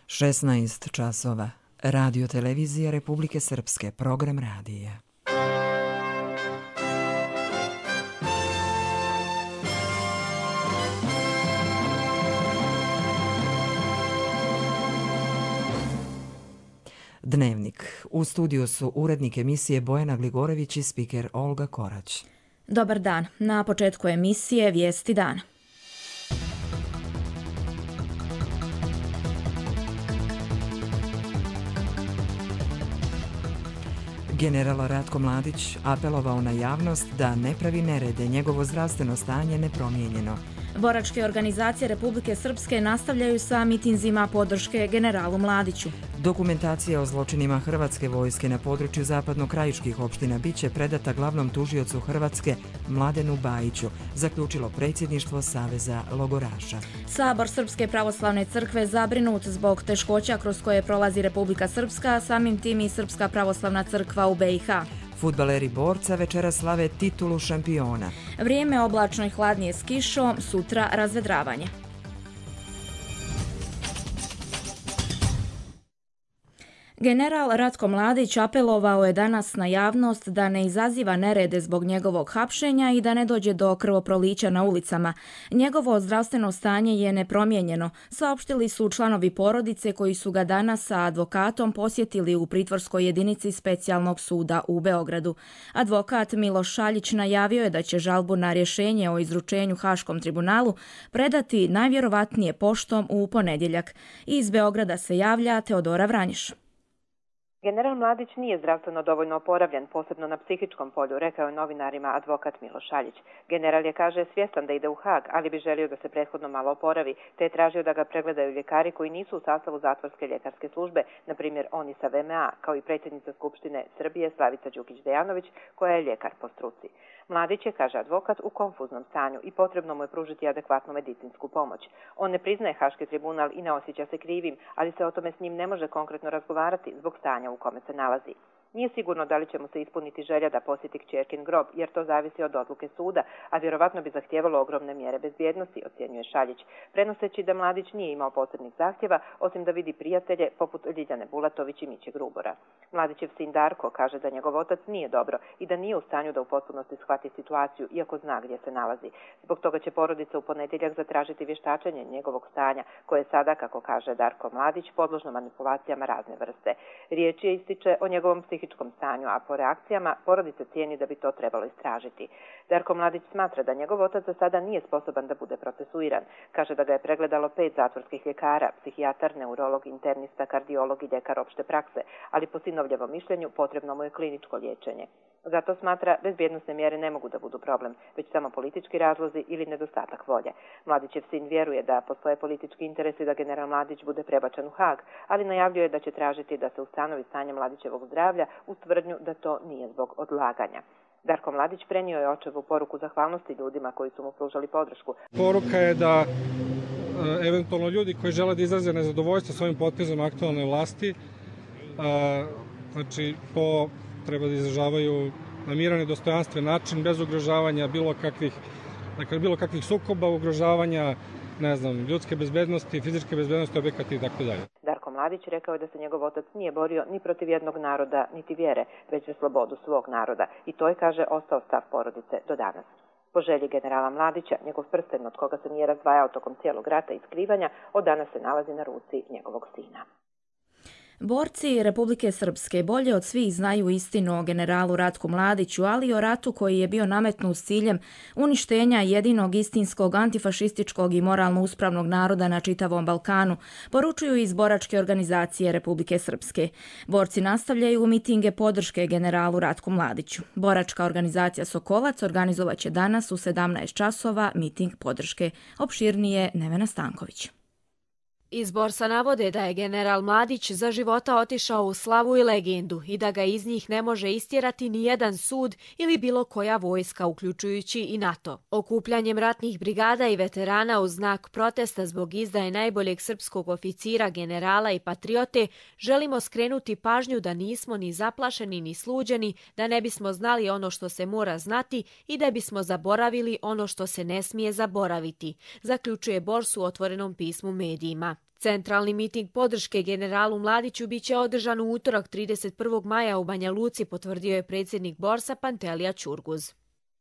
16 časova. Radio Televizija Republike Srpske. Program radija. Dnevnik. U studiju su urednik emisije Bojana Gligorević i spiker Olga Korać. Dobar dan. Na početku emisije Vijesti dana. General Ratko Mladić apelovao na javnost da ne pravi nerede, njegovo zdravstveno stanje nepromijenjeno. Boračke organizacije Republike Srpske nastavljaju sa mitinzima podrške generalu Mladiću. Dokumentacija o zločinima Hrvatske vojske na području zapadno-krajiških opština biće predata glavnom tužiocu Hrvatske Mladenu Bajiću, zaključilo predsjedništvo Saveza logoraša. Sabor Srpske pravoslavne crkve zabrinut zbog teškoća kroz koje prolazi Republika Srpska, samim tim i Srpska pravoslavna crkva u BiH. Fudbaleri Borca večera slave titulu šampiona. Vrijeme oblačno i hladnije s kišom, sutra razvedravanje. General Ratko Mladić apelovao je danas na javnost da ne izaziva nerede zbog njegovog hapšenja i da ne dođe do krvoprolića na ulicama. Njegovo zdravstveno stanje je nepromijenjeno, saopštili su članovi porodice koji su ga danas sa advokatom posjetili u pritvorskoj jedinici Specijalnog suda u Beogradu. Advokat Miloš Šaljić najavio je da će žalbu na rješenje o izručenju Haškom tribunalu predati najvjerovatnije poštom u ponedjeljak. Iz Beograda se javlja Teodora Vranješ. General Mladić nije zdravstveno dovoljno oporavljen, posebno na psihičkom polju, rekao je novinarima advokat Miloš Šaljić. General je, kaže, svjestan da ide u Hag, ali bi želio da se prethodno malo oporavi, te je tražio da ga pregledaju ljekari koji nisu u sastavu zatvorske ljekarske službe, na primjer oni sa VMA, kao i predsjednica Skupštine Srbije Slavica Đukić-Dejanović, koja je ljekar po struci. Mladić je, kaže advokat, u konfuznom stanju i potrebno mu je pružiti adekvatnu medicinsku pomoć. On ne priznaje Haški tribunal i ne osjeća se krivim, ali se o tome s njim ne može konkretno razgovarati zbog stanja u kome se nalazi. Nije sigurno da li će mu se ispuniti želja da posjeti kćerkin grob, jer to zavisi od odluke suda, a vjerovatno bi zahtijevalo ogromne mjere bezbjednosti, ocjenjuje Šaljić, prenoseći da Mladić nije imao posebnih zahtjeva, osim da vidi prijatelje poput Ljiljane Bulatović i Miće Grubora. Mladićev sin Darko kaže da njegov otac nije dobro i da nije u stanju da u potpunosti shvati situaciju, iako zna gdje se nalazi. Zbog toga će porodica u ponedjeljak zatražiti vještačenje njegovog stanja, koje je sada, kako kaže Darko Mladić, podložno manipulacijama razne vrste. Riječ je, ističe, o njegovom psihičkom stanju, a po reakcijama porodica cijeni da bi to trebalo istražiti. Darko Mladić smatra da njegov otac za sada nije sposoban da bude procesuiran. Kaže da ga je pregledalo 5 zatvorskih ljekara, psihijatar, neurolog, internista, kardiolog i ljekar opšte prakse, ali po sinovljevom mišljenju potrebno mu je kliničko liječenje. Zato smatra bezbjednosne mjere ne mogu da budu problem, već samo politički razlozi ili nedostatak volje. Mladićev sin vjeruje da postoje politički interesi da general Mladić bude prebačen u Hag, ali najavljuje da će tražiti da se ustanovi stanje Mladićevog zdravlja uz tvrdnju da to nije zbog odlaganja. Darko Mladić prenio je očevu poruku zahvalnosti ljudima koji su mu pružali podršku. Poruka je da eventualno ljudi koji žele da izraze nezadovoljstvo svojim potezom aktualne vlasti, znači to treba da izražavaju na miran i dostojanstven način, bez ugrožavanja bilo kakvih sukoba, ugrožavanja, ljudske bezbednosti, fizičke bezbednosti objekata i tako dalje. Darko Mladić rekao je da se njegov otac nije borio ni protiv jednog naroda, niti vjere, već za slobodu svog naroda. I to je, kaže, ostao stav porodice do danas. Po želji generala Mladića, njegov prsten od koga se nije razdvajao tokom cijelog rata i skrivanja, od danas se nalazi na ruci njegovog sina. Borci Republike Srpske bolje od svih znaju istinu o generalu Ratku Mladiću, ali i o ratu koji je bio nametnut s ciljem uništenja jedinog istinskog antifašističkog i moralno uspravnog naroda na čitavom Balkanu, poručuju iz Boračke organizacije Republike Srpske. Borci nastavljaju mitinge podrške generalu Ratku Mladiću. Boračka organizacija Sokolac organizovaće danas u 17 časova miting podrške. Opširnije Nevena Stanković. Iz Borsa navode da je general Mladić za života otišao u slavu i legendu i da ga iz njih ne može istjerati ni jedan sud ili bilo koja vojska, uključujući i NATO. Okupljanjem ratnih brigada i veterana u znak protesta zbog izdaje najboljeg srpskog oficira, generala i patriote, želimo skrenuti pažnju da nismo ni zaplašeni ni sluđeni, da ne bismo znali ono što se mora znati i da bismo zaboravili ono što se ne smije zaboraviti, zaključuje Bors u otvorenom pismu medijima. Centralni miting podrške generalu Mladiću biće održan u utorak 31. maja u Banja Luci, potvrdio je predsjednik Borsa Pantelija Ćurguz.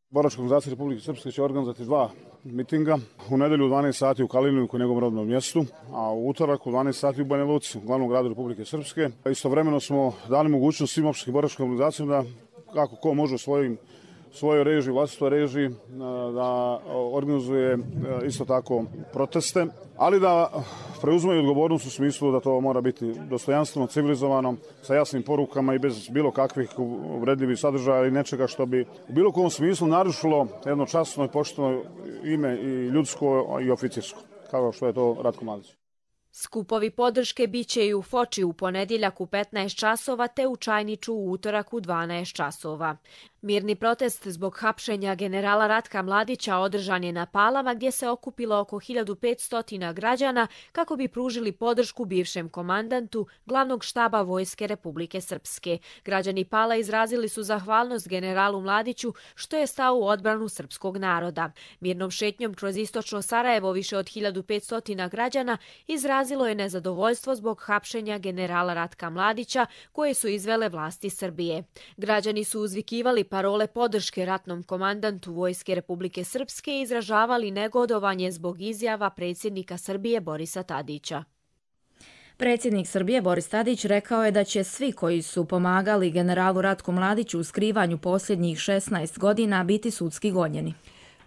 Boračka organizacija Republike Srpske će organizovati 2 mitinga. U nedelju u 12 sati u Kaliniju, u njegovom rodnom mjestu, a u utorak u 12 sati u Banja Luci, u glavnom gradu Republike Srpske. Istovremeno smo dali mogućnost svim opštinskim boračkim organizacijama da kako ko može u svojoj režiji, vlastitoj režiji, da organizuje isto tako proteste, ali da preuzimaju odgovornost u smislu da to mora biti dostojanstveno, civilizovano, sa jasnim porukama i bez bilo kakvih uvredljivih sadržaja ili nečega što bi u bilo kom smislu narušilo jedno časno i pošteno ime i ljudsko i oficirsko, kao što je to Ratko Mladić. Skupovi podrške biće i u Foči u ponedjeljak u 15 časova te u Čajniču u utorak u 12 časova. Mirni protest zbog hapšenja generala Ratka Mladića održan je na Palama gdje se okupilo oko 1500 građana kako bi pružili podršku bivšem komandantu glavnog štaba Vojske Republike Srpske. Građani Pala izrazili su zahvalnost generalu Mladiću što je stao u odbranu srpskog naroda. Mirnom šetnjom kroz istočno Sarajevo više od 1500 građana izrazilo je nezadovoljstvo zbog hapšenja generala Ratka Mladića koje su izvele vlasti Srbije. Građani su uzvikivali parole podrške ratnom komandantu Vojske Republike Srpske i izražavali negodovanje zbog izjava predsjednika Srbije Borisa Tadića. Predsjednik Srbije Boris Tadić rekao je da će svi koji su pomagali generalu Ratku Mladiću u skrivanju posljednjih 16 godina biti sudski gonjeni.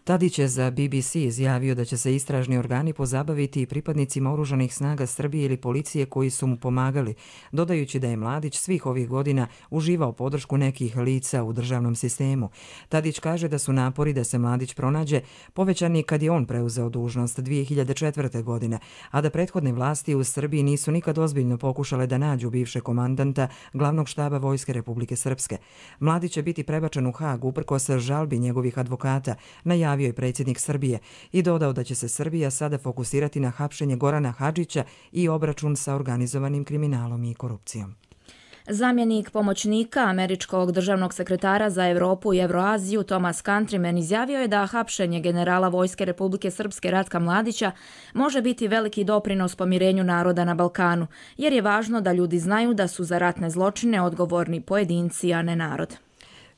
Tadić je za BBC izjavio da će se istražni organi pozabaviti i pripadnicima oružanih snaga Srbije ili policije koji su mu pomagali, dodajući da je Mladić svih ovih godina uživao podršku nekih lica u državnom sistemu. Tadić kaže da su napori da se Mladić pronađe povećani kad je on preuzeo dužnost 2004. godine, a da prethodne vlasti u Srbiji nisu nikad ozbiljno pokušale da nađu bivše komandanta glavnog štaba Vojske Republike Srpske. Mladić će biti prebačen u Hag uprkos žalbi njegovih advokata, najavio je predsjednik Srbije i dodao da će se Srbija sada fokusirati na hapšenje Gorana Hadžića i obračun sa organizovanim kriminalom i korupcijom. Zamjenik pomoćnika američkog državnog sekretara za Europu i Evroaziju Thomas Countryman izjavio je da hapšenje generala Vojske Republike Srpske Ratka Mladića može biti veliki doprinos pomirenju naroda na Balkanu, jer je važno da ljudi znaju da su za ratne zločine odgovorni pojedinci, a ne narod.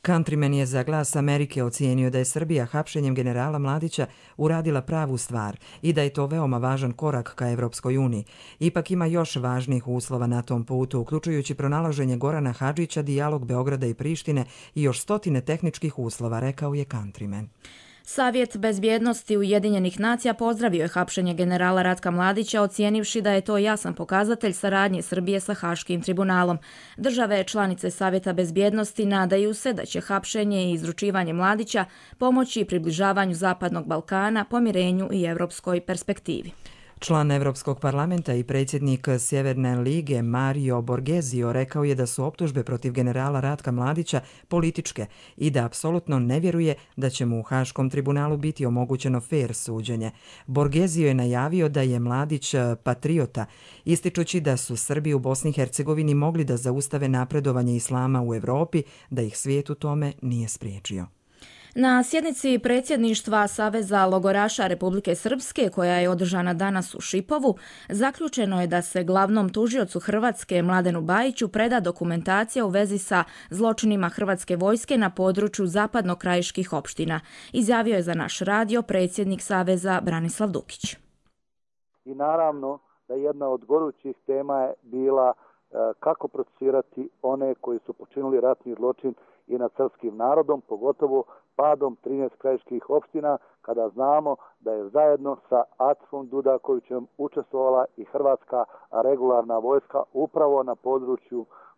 Countryman je za Glas Amerike ocijenio da je Srbija hapšenjem generala Mladića uradila pravu stvar i da je to veoma važan korak ka Evropskoj uniji. Ipak ima još važnijih uslova na tom putu, uključujući pronalaženje Gorana Hadžića, dijalog Beograda i Prištine i još stotine tehničkih uslova, rekao je Countryman. Savjet bezbjednosti Ujedinjenih nacija pozdravio je hapšenje generala Ratka Mladića, ocijenivši da je to jasan pokazatelj saradnje Srbije sa Haškim tribunalom. Države članice Savjeta bezbjednosti nadaju se da će hapšenje i izručivanje Mladića pomoći približavanju Zapadnog Balkana, pomirenju i evropskoj perspektivi. Član Evropskog parlamenta i predsjednik Sjeverne lige Mario Borghezio rekao je da su optužbe protiv generala Ratka Mladića političke i da apsolutno ne vjeruje da će mu u Haškom tribunalu biti omogućeno fair suđenje. Borghezio je najavio da je Mladić patriota, ističući da su Srbi u Bosni i Hercegovini mogli da zaustave napredovanje islama u Evropi, da ih svijet u tome nije spriječio. Na sjednici predsjedništva Saveza logoraša Republike Srpske, koja je održana danas u Šipovu, zaključeno je da se glavnom tužiocu Hrvatske Mladenu Bajiću preda dokumentacija u vezi sa zločinima Hrvatske vojske na području zapadno-krajiških opština. Izjavio je za naš radio predsjednik Saveza Branislav Dukić. I naravno da jedna od gorućih tema je bila kako procesuirati one koji su počinili ratni zločin i nad srpskim narodom, pogotovo padom 13 krajiških opština, kada znamo da je zajedno sa Acifom Dudakovićem učestvovala i hrvatska regularna vojska upravo na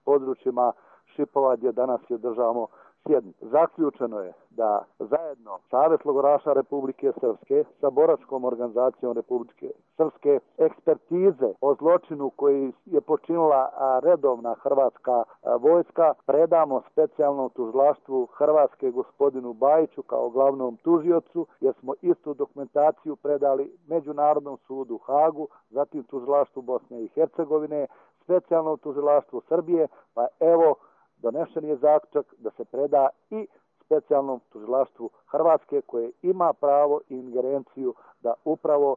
područjima Šipova gdje danas je održavamo sjednicu. Zaključeno je da zajedno Savez logoraša Republike Srpske sa boračkom organizacijom Republike Srpske ekspertize o zločinu koji je počinila redovna hrvatska vojska predamo specijalnom tužilaštvu Hrvatske gospodinu Bajiću kao glavnom tužiocu, jer smo istu dokumentaciju predali Međunarodnom sudu u Hagu, zatim tužilaštvu Bosne i Hercegovine, specijalnom tužilaštvu Srbije, pa evo donešen je zaključak da se preda i specijalnom tužilaštvu Hrvatske koje ima pravo i ingerenciju da upravo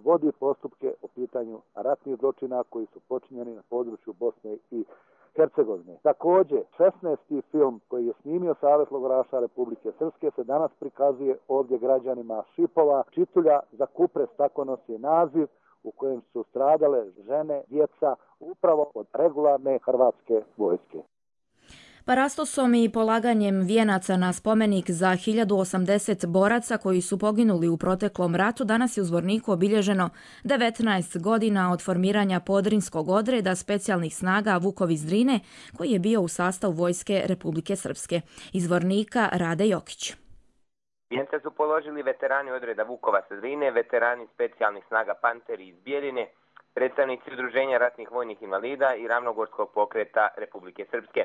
vodi postupke o pitanju ratnih zločina koji su počinjeni na području Bosne i Hercegovine. Također, 16. film koji je snimio Savez logoraša Republike Srpske se danas prikazuje ovdje građanima Šipova. Čitulja za Kupres, tako nosi naziv, u kojem su stradale žene, djeca, upravo od regularne hrvatske vojske. Parastosom i polaganjem vijenaca na spomenik za 1080 boraca koji su poginuli u proteklom ratu danas je u Zvorniku obilježeno 19 godina od formiranja Podrinskog odreda specijalnih snaga Vukovi Drine koji je bio u sastavu vojske Republike Srpske. Iz Zvornika Rade Jokić. Vijence su položili veterani odreda Vukova sa Drine, veterani specijalnih snaga Panteri iz Bijeljine, predstavnici Udruženja ratnih vojnih invalida i Ravnogorskog pokreta Republike Srpske.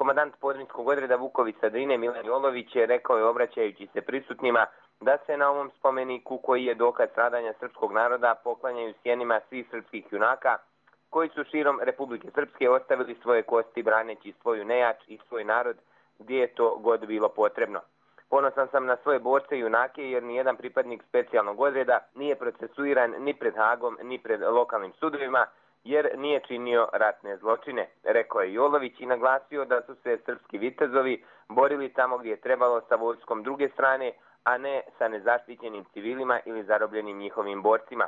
Komandant Podrinskog odreda Vukovi sa Drine Milan Jolović je rekao je obraćajući se prisutnima da se na ovom spomeniku koji je dokaz stradanja srpskog naroda poklanjaju sjenima svih srpskih junaka koji su širom Republike Srpske ostavili svoje kosti braneći svoju nejač i svoj narod gdje je to god bilo potrebno. Ponosan sam na svoje borce i junake jer nijedan pripadnik specijalnog odreda nije procesuiran ni pred Hagom ni pred lokalnim sudovima jer nije činio ratne zločine, rekao je Jolović i naglasio da su se srpski vitezovi borili tamo gdje je trebalo sa vojskom druge strane, a ne sa nezaštićenim civilima ili zarobljenim njihovim borcima.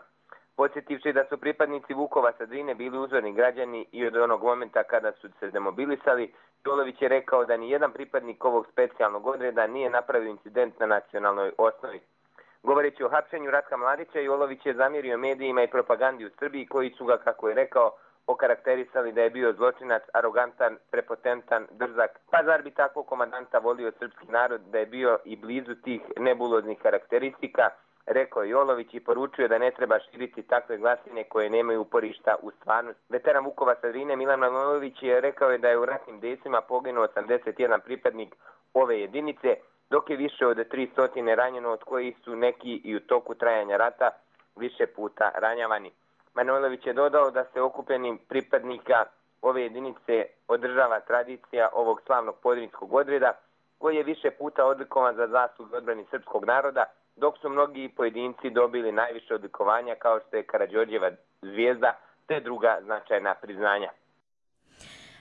Podsjetivši da su pripadnici Vukova sa Drine bili uzorni građani i od onog momenta kada su se demobilisali, Jolović je rekao da ni jedan pripadnik ovog specijalnog odreda nije napravio incident na nacionalnoj osnovi. Govoreći o hapšenju Ratka Mladića, Jolović je zamjerio medijima i propagandi u Srbiji koji su ga, kako je rekao, okarakterisali da je bio zločinac, arogantan, prepotentan, drzak. Pa zar bi takvog komandanta volio srpski narod da je bio i blizu tih nebuloznih karakteristika, rekao je Jolović i poručio da ne treba širiti takve glasine koje nemaju uporišta u stvarnosti. Veteran Vukova sa Drine Milan Manojlović je rekao da je u ratnim dejstvima poginuo 81 pripadnik ove jedinice, dok je više od 300 ranjeno, od kojih su neki i u toku trajanja rata više puta ranjavani. Manojlović je dodao da se okupljenim pripadnika ove jedinice održava tradicija ovog slavnog podrinskog odreda, koji je više puta odlikovan za zasluge odbrani srpskog naroda, dok su mnogi pojedinci dobili najviše odlikovanja kao što je Karađorđeva zvijezda te druga značajna priznanja.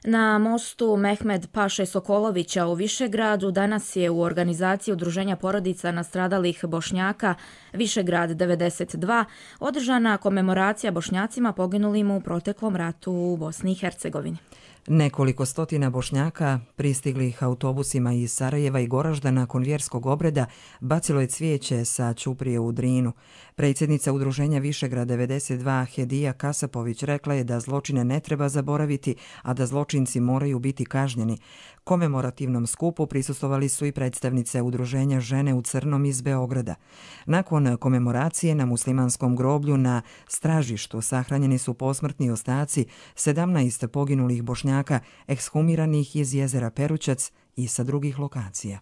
Na mostu Mehmed Paše Sokolovića u Višegradu danas je u organizaciji Udruženja porodica nastradalih Bošnjaka Višegrad 92 održana komemoracija Bošnjacima poginulim u proteklom ratu u Bosni i Hercegovini. Nekoliko stotina Bošnjaka pristiglih autobusima iz Sarajeva i Goražda nakon vjerskog obreda bacilo je cvijeće sa ćuprije u Drinu. Predsjednica Udruženja Višegrad 92 Hedija Kasapović rekla je da zločine ne treba zaboraviti, a da zločinci moraju biti kažnjeni. Komemorativnom skupu prisustvovali su i predstavnice Udruženja Žene u crnom iz Beograda. Nakon komemoracije na muslimanskom groblju na Stražištu sahranjeni su posmrtni ostaci 17 poginulih Bošnjaka ekshumiranih iz jezera Perućac i sa drugih lokacija.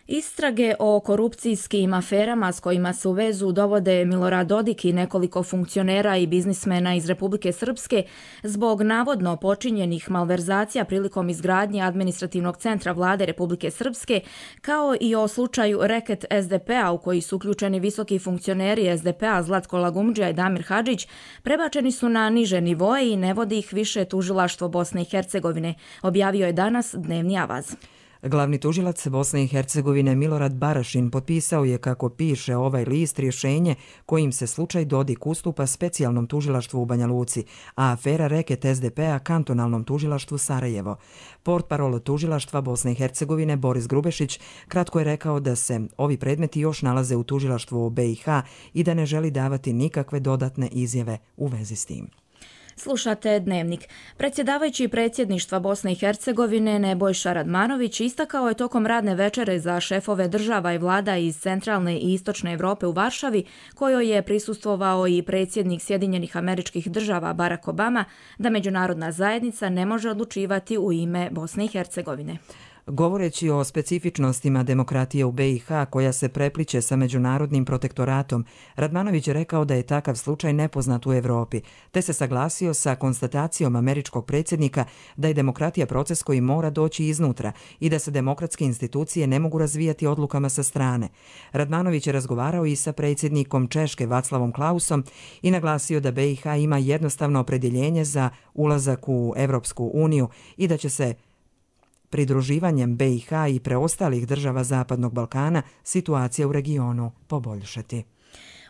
Istrage o korupcijskim aferama s kojima se u vezu dovode Milorad Dodik i nekoliko funkcionera i biznismena iz Republike Srpske zbog navodno počinjenih malverzacija prilikom izgradnje administrativnog centra vlade Republike Srpske, kao i o slučaju reket SDP-a u koji su uključeni visoki funkcioneri SDP-a Zlatko Lagumdžija i Damir Hadžić, prebačeni su na niže nivoe i ne vodi ih više tužilaštvo Bosne i Hercegovine, objavio je danas Dnevni avaz. Glavni tužilac Bosne i Hercegovine Milorad Barašin potpisao je, kako piše ovaj list, rješenje kojim se slučaj Dodik ustupa specijalnom tužilaštvu u Banja Luci, a afera reket SDP-a kantonalnom tužilaštvu Sarajevo. Portparol tužilaštva Bosne i Hercegovine Boris Grubešić kratko je rekao da se ovi predmeti još nalaze u tužilaštvu u BiH i da ne želi davati nikakve dodatne izjave u vezi s tim. Slušate Dnevnik. Predsjedavajući predsjedništva Bosne i Hercegovine Nebojša Radmanović istakao je tokom radne večere za šefove država i vlada iz centralne i istočne Europe u Varšavi, kojoj je prisustvovao i predsjednik Sjedinjenih Američkih Država Barack Obama, da međunarodna zajednica ne može odlučivati u ime Bosne i Hercegovine. Govoreći o specifičnostima demokratije u BiH koja se prepliče sa međunarodnim protektoratom, Radmanović je rekao da je takav slučaj nepoznat u Evropi, te se saglasio sa konstatacijom američkog predsjednika da je demokratija proces koji mora doći iznutra i da se demokratske institucije ne mogu razvijati odlukama sa strane. Radmanović je razgovarao i sa predsjednikom Češke Vaclavom Klausom i naglasio da BiH ima jednostavno opredjeljenje za ulazak u Evropsku uniju i da će se pridruživanjem BiH i preostalih država Zapadnog Balkana situacija u regionu poboljšati.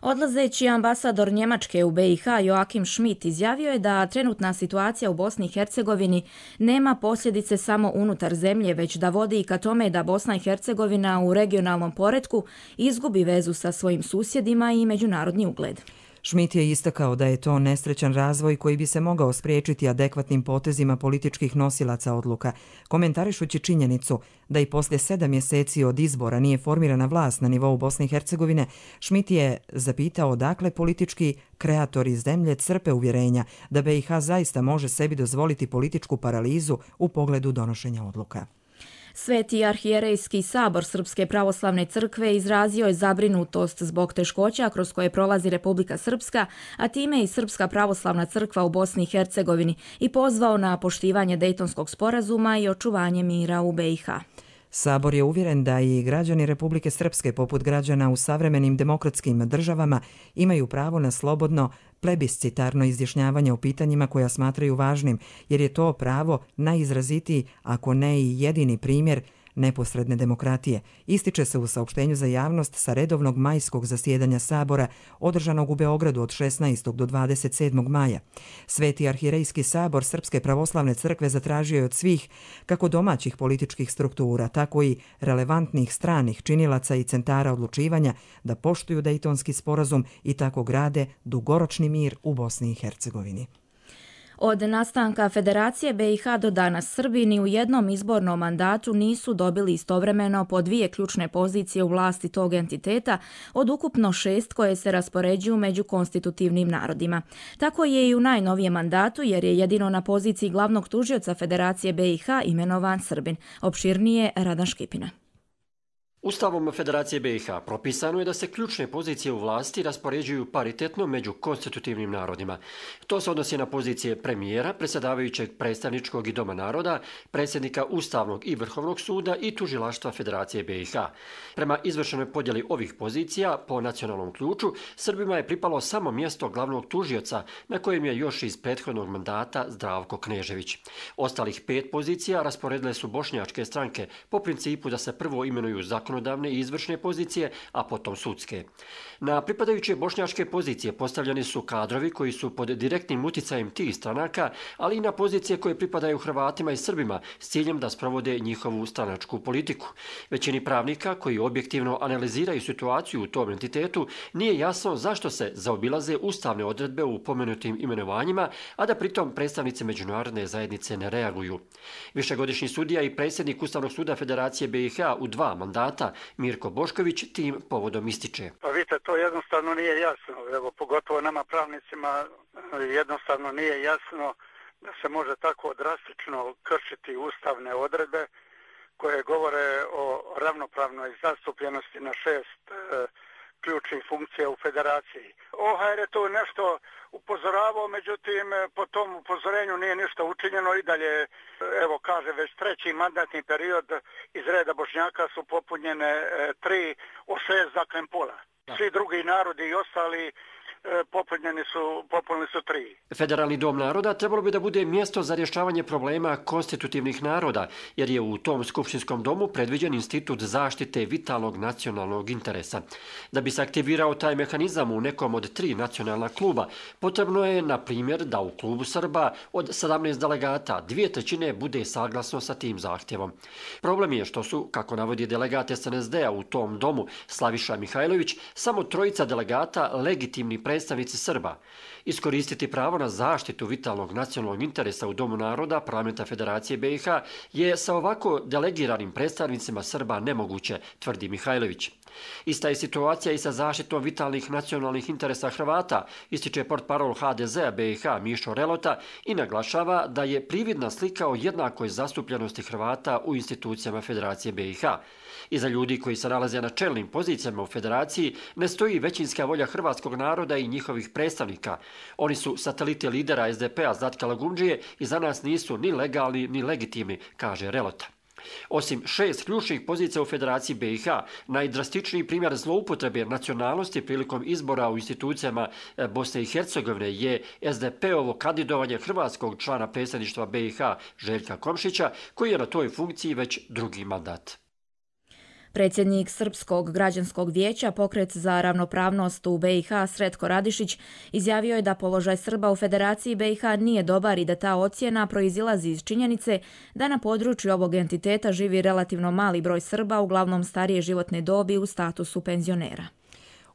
Odlazeći ambasador Njemačke u BiH Joachim Schmidt izjavio je da trenutna situacija u Bosni i Hercegovini nema posljedice samo unutar zemlje, već da vodi i ka tome da Bosna i Hercegovina u regionalnom poretku izgubi vezu sa svojim susjedima i međunarodni ugled. Schmidt je istakao da je to nesrećan razvoj koji bi se mogao spriječiti adekvatnim potezima političkih nosilaca odluka, komentarišući činjenicu da i poslije 7 mjeseci od izbora nije formirana vlast na nivou Bosne i Hercegovine. Schmidt je zapitao odakle politički kreatori zemlje crpe uvjerenja da BiH zaista može sebi dozvoliti političku paralizu u pogledu donošenja odluka. Sveti arhijerejski sabor Srpske pravoslavne crkve izrazio je zabrinutost zbog teškoća kroz koje prolazi Republika Srpska, a time i Srpska pravoslavna crkva u Bosni i Hercegovini i pozvao na poštivanje Dejtonskog sporazuma i očuvanje mira u BiH. Sabor je uvjeren da i građani Republike Srpske, poput građana u savremenim demokratskim državama, imaju pravo na slobodno plebiscitarno izjašnjavanje o pitanjima koja smatraju važnim, jer je to pravo najizrazitiji, ako ne i jedini primjer neposredne demokratije. Ističe se u saopštenju za javnost sa redovnog majskog zasjedanja Sabora održanog u Beogradu od 16. do 27. maja. Sveti arhirejski sabor Srpske pravoslavne crkve zatražio je od svih, kako domaćih političkih struktura, tako i relevantnih stranih činilaca i centara odlučivanja, da poštuju Dejtonski sporazum i tako grade dugoročni mir u Bosni i Hercegovini. Od nastanka Federacije BiH do danas Srbi ni u jednom izbornom mandatu nisu dobili istovremeno po 2 ključne pozicije u vlasti tog entiteta od ukupno 6 koje se raspoređuju među konstitutivnim narodima. Tako je i u najnovijem mandatu jer je jedino na poziciji glavnog tužioca Federacije BiH imenovan Srbin. Opširnije Radan Škipina. Ustavom Federacije BiH propisano je da se ključne pozicije u vlasti raspoređuju paritetno među konstitutivnim narodima. To se odnosi na pozicije premijera, predsjedavajućeg predstavničkog i Doma naroda, predsjednika Ustavnog i Vrhovnog suda i tužilaštva Federacije BiH. Prema izvršenoj podjeli ovih pozicija po nacionalnom ključu, Srbima je pripalo samo mjesto glavnog tužioca, na kojem je još iz prethodnog mandata Zdravko Knežević. Ostalih 5 pozicija rasporedile su bošnjačke stranke po principu da se prvo imenuju zakonodavne i izvršne pozicije, a potom sudske. Na pripadajuće bošnjačke pozicije postavljeni su kadrovi koji su pod direktnim uticajem tih stranaka, ali i na pozicije koje pripadaju Hrvatima i Srbima s ciljem da sprovode njihovu stranačku politiku. Većini pravnika koji objektivno analiziraju situaciju u tom entitetu nije jasno zašto se zaobilaze ustavne odredbe u pomenutim imenovanjima, a da pritom predstavnici međunarodne zajednice ne reaguju. Višegodišnji sudija i predsjednik Ustavnog suda Federacije BiH u 2 mandata, Mirko Bošković, tim povodom ističe. Pa vidite, to jednostavno nije jasno. Evo, pogotovo nama pravnicima jednostavno nije jasno da se može tako drastično kršiti ustavne odredbe koje govore o ravnopravnoj zastupljenosti na 6 ključnih funkcija u federaciji. OHR je to nešto upozoravao, međutim po tom upozorenju nije ništa učinjeno i dalje, evo kaže, već 3. mandatni period iz reda Bošnjaka su popunjene 3 od 6 zaklem pola. Svi drugi narodi i ostali popunili su 3. Federalni dom naroda trebalo bi da bude mjesto za rješavanje problema konstitutivnih naroda, jer je u tom skupštinskom domu predviđen institut zaštite vitalnog nacionalnog interesa. Da bi se aktivirao taj mehanizam u nekom od 3 nacionalna kluba, potrebno je, na primjer, da u klubu Srba od 17 delegata 2/3 bude saglasno sa tim zahtjevom. Problem je što su, kako navodi delegat SNSD-a u tom domu Slaviša Mihajlović, samo 3 delegata legitimni predstavnici Srba. Iskoristiti pravo na zaštitu vitalnog nacionalnog interesa u Domu naroda Parlamenta Federacije BiH je sa ovako delegiranim predstavnicima Srba nemoguće, tvrdi Mihajlović. Ista je situacija i sa zaštitom vitalnih nacionalnih interesa Hrvata, ističe portparol HDZ-a BiH Mišo Relota i naglašava da je prividna slika o jednakoj zastupljenosti Hrvata u institucijama Federacije BiH. Iza ljudi koji se nalaze na čelnim pozicijama u Federaciji ne stoji većinska volja hrvatskog naroda i njihovih predstavnika. Oni su sateliti lidera SDP-a Zlatka Lagundžije i za nas nisu ni legalni ni legitimni, kaže Relota. Osim 6 ključnih pozicija u Federaciji BiH, najdrastičniji primjer zloupotrebe nacionalnosti prilikom izbora u institucijama Bosne i Hercegovine je SDP-ovo kandidovanje hrvatskog člana predsjedništva BiH Željka Komšića, koji je na toj funkciji već drugi mandat. Predsjednik Srpskog građanskog vijeća, Pokret za ravnopravnost u BiH, Sretko Radišić, izjavio je da položaj Srba u Federaciji BiH nije dobar i da ta ocjena proizilazi iz činjenice da na području ovog entiteta živi relativno mali broj Srba, uglavnom starije životne dobi u statusu penzionera.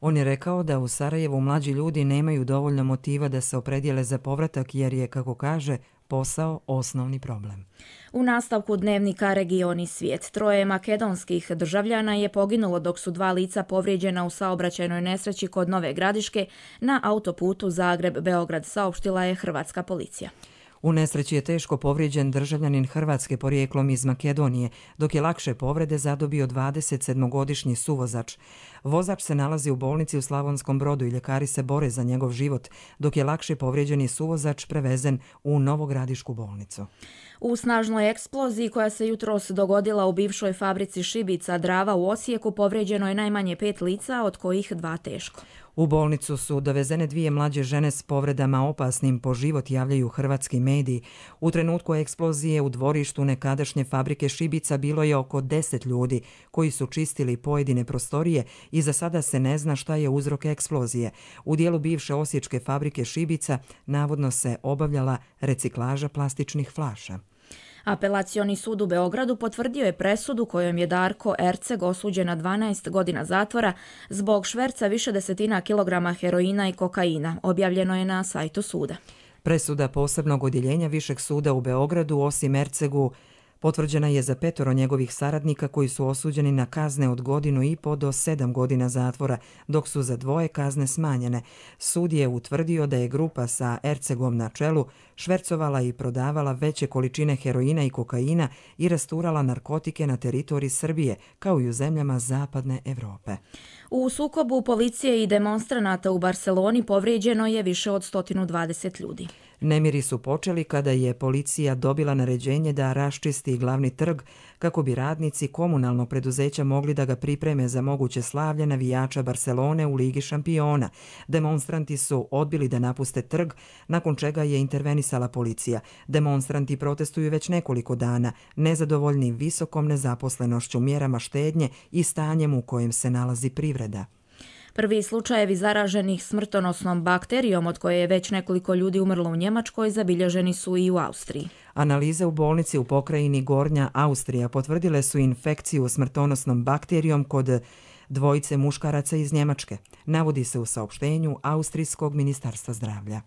On je rekao da u Sarajevu mlađi ljudi nemaju dovoljno motiva da se opredijele za povratak jer je, kako kaže, posao osnovni problem. U nastavku dnevnika Region i svijet 3 makedonskih državljana je poginulo dok su 2 lica povrijeđena u saobraćajnoj nesreći kod Nove Gradiške na autoputu Zagreb-Beograd, saopštila je hrvatska policija. U nesreći je teško povrijeđen državljanin Hrvatske porijeklom iz Makedonije, dok je lakše povrede zadobio 27-godišnji suvozač. Vozač se nalazi u bolnici u Slavonskom Brodu i ljekari se bore za njegov život, dok je lakše povrijeđeni suvozač prevezen u Novogradišku bolnicu. U snažnoj eksploziji koja se jutros dogodila u bivšoj fabrici šibica Drava u Osijeku povrijeđeno je najmanje 5 lica, od kojih 2 teško. U bolnicu su dovezene 2 mlađe žene s povredama opasnim po život, javljaju hrvatski mediji. U trenutku eksplozije u dvorištu nekadašnje fabrike šibica bilo je oko 10 ljudi koji su čistili pojedine prostorije i za sada se ne zna šta je uzrok eksplozije. U dijelu bivše osječke fabrike šibica navodno se obavljala reciklaža plastičnih flaša. Apelacioni sud u Beogradu potvrdio je presudu kojom je Darko Erceg osuđen na 12 godina zatvora zbog šverca više desetina kilograma heroina i kokaina. Objavljeno je na sajtu suda. Presuda posebnog odjeljenja Višeg suda u Beogradu, osim Ercegu, potvrđena je za 5 njegovih saradnika koji su osuđeni na kazne od 1,5 do 7 godina zatvora, dok su za 2 kazne smanjene. Sud je utvrdio da je grupa sa Ercegom na čelu švercovala i prodavala veće količine heroina i kokaina i rasturala narkotike na teritoriji Srbije, kao i u zemljama Zapadne Evrope. U sukobu policije i demonstranata u Barseloni povrijeđeno je više od 120 ljudi. Nemiri su počeli kada je policija dobila naređenje da raščisti glavni trg kako bi radnici komunalnog preduzeća mogli da ga pripreme za moguće slavlje navijača Barcelone u Ligi šampiona. Demonstranti su odbili da napuste trg, nakon čega je intervenisala policija. Demonstranti protestuju već nekoliko dana, nezadovoljni visokom nezaposlenošću, mjerama štednje i stanjem u kojem se nalazi privreda. Prvi slučajevi zaraženih smrtonosnom bakterijom od koje je već nekoliko ljudi umrlo u Njemačkoj zabilježeni su i u Austriji. Analize u bolnici u pokrajini Gornja Austrija potvrdile su infekciju smrtonosnom bakterijom kod 2 muškaraca iz Njemačke, navodi se u saopštenju Austrijskog ministarstva zdravlja.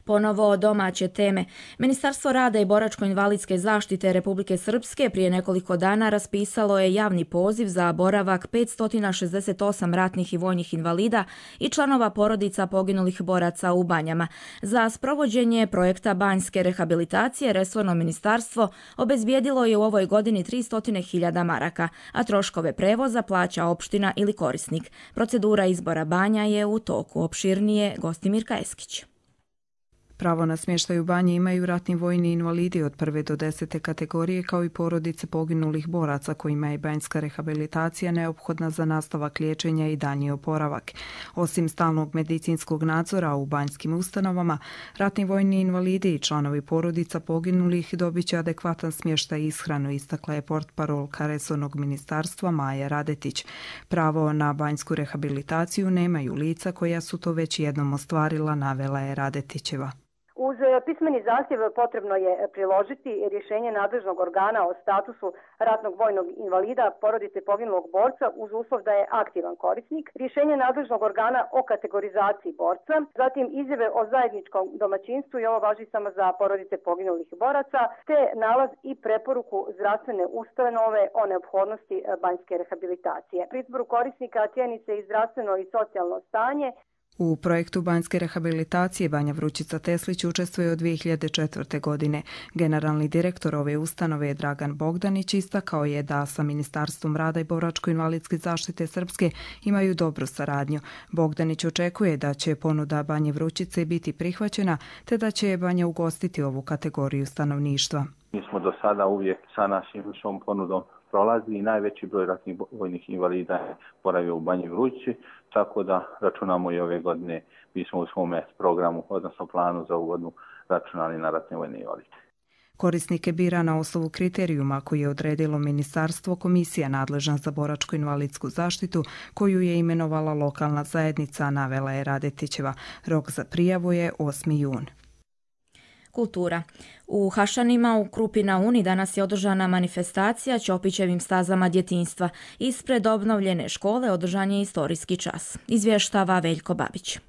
Ponovo domaće teme. Ministarstvo rada i boračko-invalidske zaštite Republike Srpske prije nekoliko dana raspisalo je javni poziv za boravak 568 ratnih i vojnih invalida i članova porodica poginulih boraca u Banjama. Za sprovođenje projekta banjske rehabilitacije resorno ministarstvo obezbijedilo je u ovoj godini 300.000 maraka, a troškove prevoza plaća opština ili korisnik. Procedura izbora banja je u toku. Opširnije Gostimirka Eskić. Pravo na smještaj u banji imaju ratni vojni invalidi od 1. do 10. kategorije kao i porodice poginulih boraca kojima je banjska rehabilitacija neophodna za nastavak liječenja i daljnji oporavak. Osim stalnog medicinskog nadzora u banjskim ustanovama, ratni vojni invalidi i članovi porodica poginulih dobit će adekvatan smještaj i ishranu, istakla je portparolka resornog ministarstva Maja Radetić. Pravo na banjsku rehabilitaciju nemaju lica koja su to već jednom ostvarila, navela je Radetićeva. Uz pismeni zahtjev potrebno je priložiti rješenje nadležnog organa o statusu ratnog vojnog invalida porodice poginulog borca uz uslov da je aktivan korisnik, rješenje nadležnog organa o kategorizaciji borca, zatim izjave o zajedničkom domaćinstvu i ovo važi samo za porodice poginulih boraca, te nalaz i preporuku zdravstvene ustanove o neophodnosti banjske rehabilitacije. Pri izboru korisnika cijeni se i zdravstveno i socijalno stanje. U projektu banjske rehabilitacije Banja Vrućica Teslić učestvuje od 2004. godine. Generalni direktor ove ustanove je Dragan Bogdanić istakao je da sa Ministarstvom rada i boračko-invalidske zaštite Srpske imaju dobru saradnju. Bogdanić očekuje da će ponuda Banje Vrućice biti prihvaćena te da će Banja ugostiti ovu kategoriju stanovništva. Mi smo do sada uvijek sa našom ponudom prolazi i najveći broj ratnih vojnih invalida je boravio u Banji Vrućici, tako da računamo i ove godine mi smo u svome programu, odnosno planu za ovu godinu računali na ratne vojne invalide. Korisnike bira na osnovu kriterijuma koji je odredilo ministarstvo, komisija nadležna za boračko-invalidsku zaštitu koju je imenovala lokalna zajednica, navela je Radetićeva. Rok za prijavu je 8. jun. Kultura. U Hašanima u Krupi na Uni danas je održana manifestacija Ćopićevim stazama djetinjstva. Ispred obnovljene škole održan je istorijski čas. Izvještava Veljko Babić.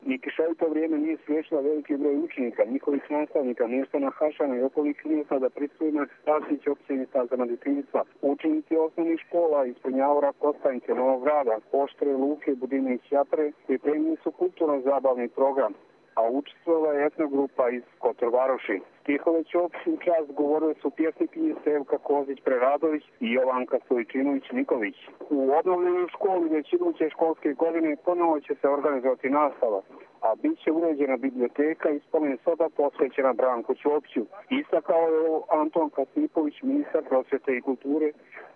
Ni kišovito vrijeme nije spriječila veliki broj učenika, njihovih nastavnika, mještana Hašana i okolnih mjesta da prisuju manifestaciji Ćopićevim stazama djetinjstva. Učenici osnovnih škola iz Punjavora, Kostanjke, Novog Grada, Oštre, Luke, Budine i Ćapre pripremili su kulturno-zabavni program, a učestvovala je etnogrupa iz Kotorvaroši. Stihove Ćopiću čast govorile su pjesnikinje Sevka Kozić-Preradović i Jovanka Stojčinović-Nikolić. U obnovljenoj školi već iduće školske godine ponovo će se organizovati nastava, a bit će uređena biblioteka i spomen soba posvećena Branku Ćopiću. Istakao je Anton Kasipović, ministar prosvjete i kulture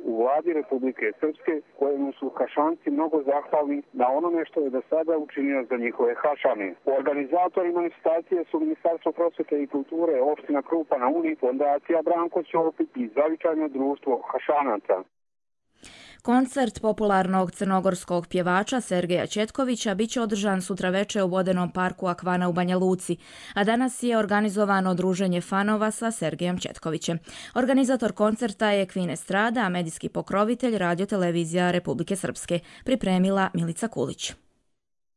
u vladi Republike Srpske, kojemu su Hašanci mnogo zahvalni na onome što je do sada učinio za njihove Hašane. Organizatori manifestacije su Ministarstvo prosvjete i kulture, opština Krupa na Uni, fondacija Branko Ćopić i Zavičajno društvo Hašanaca. Koncert popularnog crnogorskog pjevača Sergeja Četkovića biće održan sutra veče u vodenom parku Akvana u Banja Luci, a danas je organizovano druženje fanova sa Sergejem Četkovićem. Organizator koncerta je Kvin Estrada, a medijski pokrovitelj Radio-televizija Republike Srpske, pripremila Milica Kulić.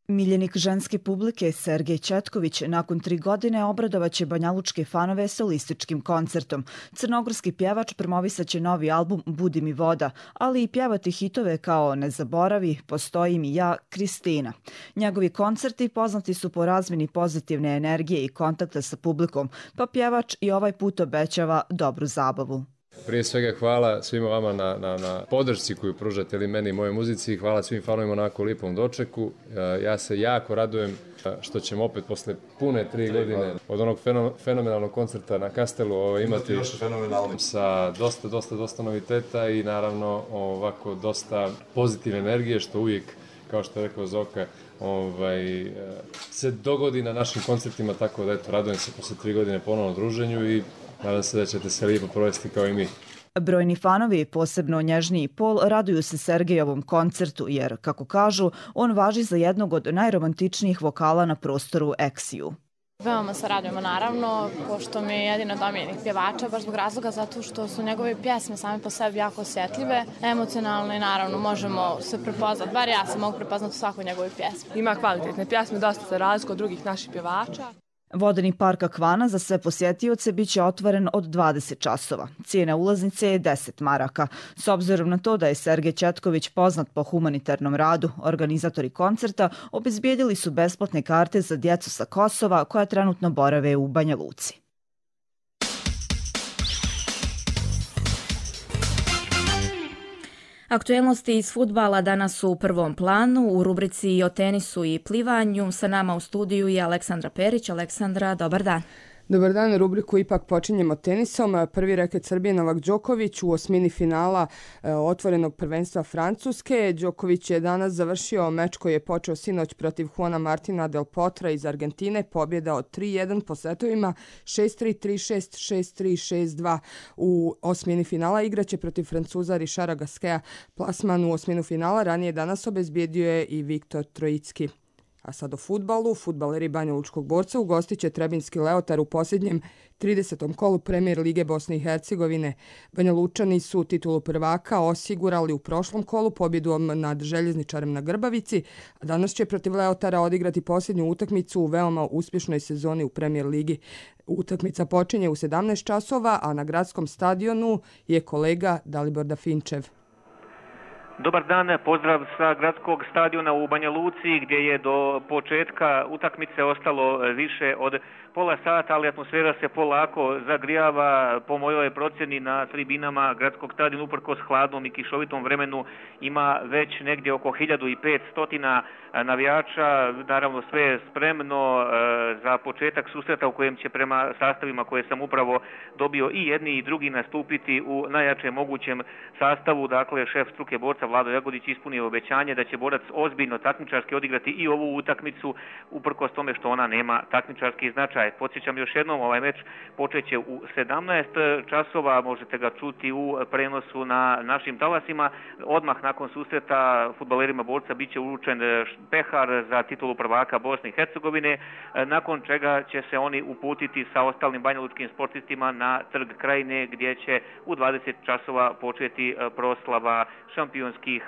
Miljenik ženske publike Sergej Četković nakon 3 godine obradovaće banjalučke fanove solističkim koncertom. Crnogorski pjevač promovisaće novi album Budi mi voda, ali i pjevati hitove kao Ne zaboravi, Postoji mi ja, Kristina. Njegovi koncerti poznati su po razmjeni pozitivne energije i kontakta sa publikom, pa pjevač i ovaj put obećava dobru zabavu. Prije svega hvala svima vama na podršci koju pružate ili meni i moje muzici. Hvala svim fanovima na onako lipom dočeku. Ja se jako radujem što ćemo opet posle pune 3 godine od onog fenomenalnog koncerta na Kastelu imati sa dosta noviteta i naravno ovako dosta pozitivne energije, što uvijek, kao što je rekao Zoka, se dogodi na našim koncertima, tako da eto, radujem se posle 3 godine ponovno druženju i nadam se da ćete se lijepo provesti kao i mi. Brojni fanovi, posebno nježniji pol, raduju se Sergejovom koncertu jer, kako kažu, on važi za jednog od najromantičnijih vokala na prostoru Eksiju. Veoma se radujemo naravno, pošto mi je jedino domjenik pjevača, baš zbog razloga zato što su njegove pjesme same po sebi jako osjetljive, emocionalne i naravno možemo se prepoznati, bar ja se mogu prepoznati u svakoj njegove pjesme. Ima kvalitetne pjesme, dosta se razliku od drugih naših pjevača. Vodeni park Akvana za sve posjetioce biće otvoren od 20 časova. Cijena ulaznice je 10 maraka. S obzirom na to da je Sergej Četković poznat po humanitarnom radu, organizatori koncerta obezbijedili su besplatne karte za djecu sa Kosova koja trenutno borave u Banja Luci. Aktuelnosti iz fudbala danas su u prvom planu. U rubrici o tenisu i plivanju sa nama u studiju je Aleksandra Perić. Aleksandra, dobar dan. Dobar dan, rubriku ipak počinjemo tenisom. Prvi reket Srbije Novak Đoković u osmini finala otvorenog prvenstva Francuske. Đoković je danas završio meč koji je počeo sinoć protiv Juana Martina del Potra iz Argentine. Pobjeda od 3-1 po setovima 6-3, 3-6, 6-3, 6-2. U osmini finala igraće protiv Francuza Richarda Gasqueta. Plasman u osminu finala ranije danas obezbijedio je i Viktor Trojicki. A sad o fudbalu. Fudbaleri Banja Lučkog Borca ugostit će Trebinski Leotar u posljednjem 30. kolu Premijer Lige Bosne i Hercegovine. Banja Lučani su titulu prvaka osigurali u prošlom kolu pobjedom nad Željezničarem na Grbavici, a danas će protiv Leotara odigrati posljednju utakmicu u veoma uspješnoj sezoni u Premijer Ligi. Utakmica počinje u 17 časova, a na gradskom stadionu je kolega Dalibor Dafinčev. Dobar dan, pozdrav sa gradskog stadiona u Banja Luci gdje je do početka utakmice ostalo više od pola sata, ali atmosfera se polako zagrijava. Po mojoj procjeni na tribinama gradskog stadiona uprkos hladnom i kišovitom vremenu ima već negdje oko 1500 navijača. Naravno sve je spremno za početak susreta u kojem će prema sastavima koje sam upravo dobio i jedni i drugi nastupiti u najjačem mogućem sastavu. Dakle, šef struke borca Vlado Jagodić ispunio obećanje da će borac ozbiljno takmičarski odigrati i ovu utakmicu uprkos tome što ona nema takmičarski značaj. Podsjećam još jednom, ovaj meč počeće u 17 časova, možete ga čuti u prenosu na našim talasima. Odmah nakon susreta fudbalerima borca bit će uručen pehar za titulu prvaka Bosne i Hercegovine, nakon čega će se oni uputiti sa ostalim banjalučkim sportistima na Trg Krajine gdje će u 20 časova početi proslava šampionskih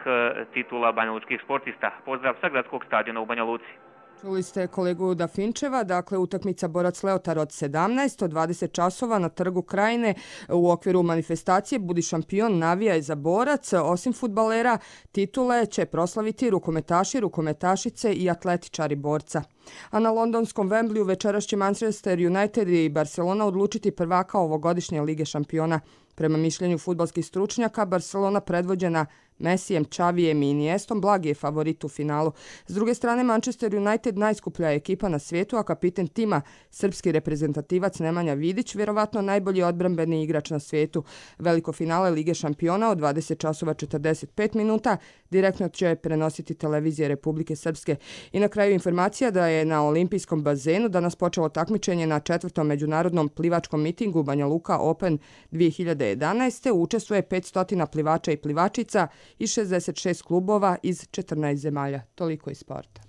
titula banjalučkih sportista. Pozdrav sa gradskog stadiona u Banja Luci. Čuli ste kolegu Dafinčeva, dakle utakmica Borac Leotar od 17 od 20 časova na Trgu Krajine u okviru manifestacije Budi šampion, navijaj za Borac. Osim fudbalera, titule će proslaviti rukometaši, rukometašice i atletičari Borca. A na londonskom Wembleyu večeras će Manchester United i Barcelona odlučiti prvaka ovogodišnje Lige šampiona. Prema mišljenju fudbalskih stručnjaka, Barcelona predvođena Messijem, Xavijem i Iniestom blagi je favorit u finalu. S druge strane, Manchester United najskuplja ekipa na svijetu, a kapiten tima, srpski reprezentativac Nemanja Vidić, vjerovatno najbolji odbrambeni igrač na svijetu. Veliko finale Lige šampiona od 20 časova 45 minuta direktno će prenositi televizije Republike Srpske. I na kraju informacija da je na olimpijskom bazenu danas počelo takmičenje na 4. međunarodnom plivačkom mitingu Banja Luka Open 2011. Učestvuje 500 plivača i plivačica i 66 klubova iz 14 zemalja. Toliko iz sporta.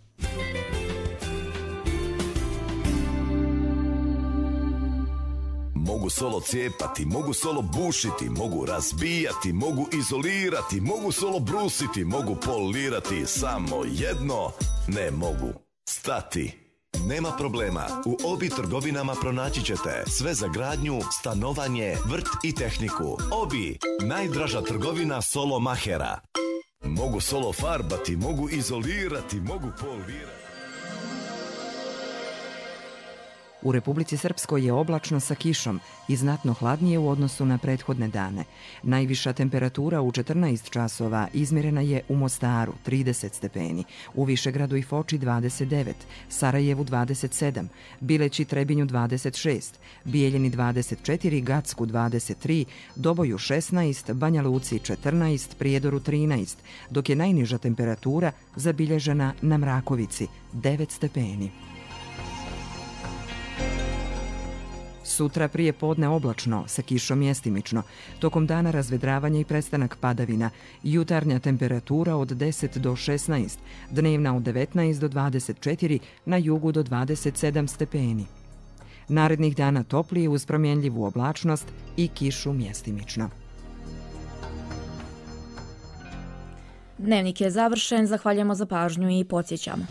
Mogu solo cijepati, mogu solo bušiti, mogu razbijati, mogu izolirati, mogu solo brusiti, mogu polirati, samo jedno ne mogu. Stati. Nema problema, u Obi trgovinama pronaći ćete sve za gradnju, stanovanje, vrt i tehniku. Obi, najdraža trgovina solo mahera. Mogu solo farbati, mogu izolirati, mogu polirati. U Republici Srpskoj je oblačno sa kišom i znatno hladnije u odnosu na prethodne dane. Najviša temperatura u 14 časova izmjerena je u Mostaru 30 stepeni, u Višegradu i Foči 29, Sarajevu 27, Bileći Trebinju 26, Bijeljini 24, Gacku 23, Doboju 16, Banja Luci 14, Prijedoru 13, dok je najniža temperatura zabilježena na Mrakovici 9 stepeni. Sutra prije podne oblačno, sa kišom mjestimično. Tokom dana razvedravanje i prestanak padavina. Jutarnja temperatura od 10 do 16, dnevna od 19 do 24, na jugu do 27 stepeni. Narednih dana toplije uz promjenljivu oblačnost i kišu mjestimično. Dnevnik je završen, zahvaljujemo za pažnju i podsjećamo.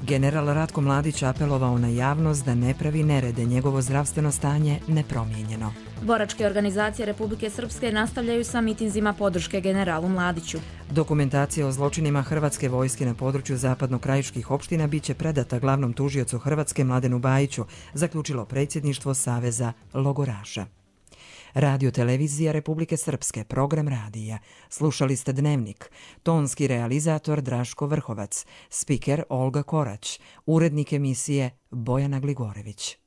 General Ratko Mladić apelovao na javnost da ne pravi nerede, njegovo zdravstveno stanje nepromijenjeno. Boračke organizacije Republike Srpske nastavljaju sa mitinzima podrške generalu Mladiću. Dokumentacija o zločinima Hrvatske vojske na području zapadnokrajiških opština biće predata glavnom tužiocu Hrvatske Mladenu Bajiću, zaključilo predsjedništvo Saveza logoraša. Radio televizija Republike Srpske, program radija. Slušali ste Dnevnik. Tonski realizator Draško Vrhovac, spiker Olga Korać, urednik emisije Bojana Gligorević.